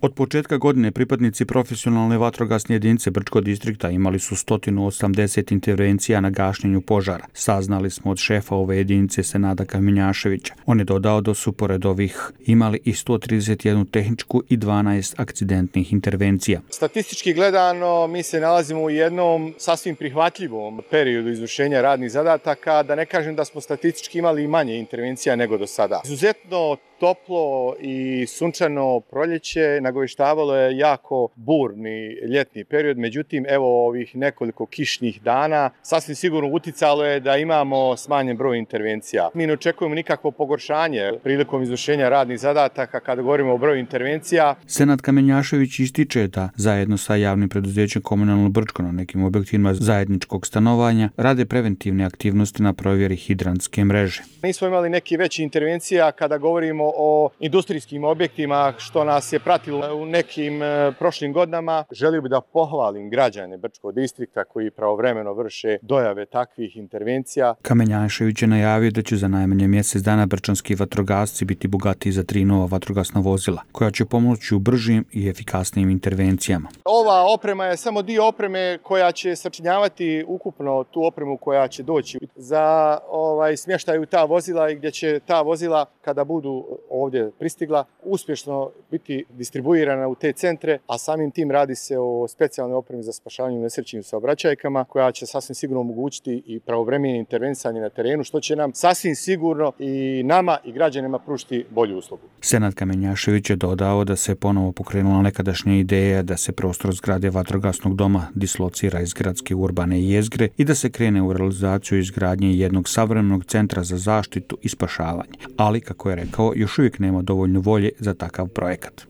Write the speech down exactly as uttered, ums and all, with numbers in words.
Od početka godine pripadnici profesionalne vatrogasne jedinice Brčkog distrikta imali su sto osamdeset intervencija na gašenju požara. Saznali smo od šefa ove jedinice Senada Kamenjaševića. On je dodao da su pored ovih imali i sto trideset jednu tehničku i dvanaest akcidentnih intervencija. Statistički gledano mi se nalazimo u jednom sasvim prihvatljivom periodu izvršenja radnih zadataka, da ne kažem da smo statistički imali i manje intervencija nego do sada. Izuzetno toplo i sunčano proljeće nagoveštavalo je jako burni ljetni period, međutim evo ovih nekoliko kišnih dana sasvim sigurno uticalo je da imamo smanjen broj intervencija. Mi ne očekujemo nikakvo pogoršanje prilikom izvršenja radnih zadataka kada govorimo o broju intervencija. Senad Kamenjašević ističe da zajedno sa javnim preduzećem Komunalno Brčko na nekim objektima zajedničkog stanovanja rade preventivne aktivnosti na provjeri hidrantske mreže. Nismo imali neki veći intervencija kada govorimo o industrijskim objektima što nas je pratilo u nekim prošlim godinama. Želio bih da pohvalim građane Brčkog distrikta koji pravovremeno vrše dojave takvih intervencija. Kamenjašević je najavio da će za najmanje mjesec dana brčanski vatrogasci biti bogatiji za tri nova vatrogasna vozila, koja će pomoći u bržim i efikasnijim intervencijama. Ova oprema je samo dio opreme koja će sačinjavati ukupno tu opremu koja će doći za ovaj, smještaj u ta vozila i gdje će ta vozila kada budu ovdje pristigla uspješno biti distribuirana u te centre, a samim tim radi se o specijalnoj opremi za spašavanje u nesrećnim saobraćajkama koja će sasvim sigurno omogućiti i pravovremeno intervenisanje na terenu, što će nam sasvim sigurno i nama i građanima pružiti bolju uslugu. Senad Kamenjašević je dodao da se ponovo pokrenula nekadašnja ideja da se prostor zgrade vatrogasnog doma dislocira iz gradske urbane jezgre i da se krene u realizaciju izgradnje jednog savremenog centra za zaštitu i spašavanje. Ali, kako je rekao, još uvijek nema dovoljno volje za takav projekat.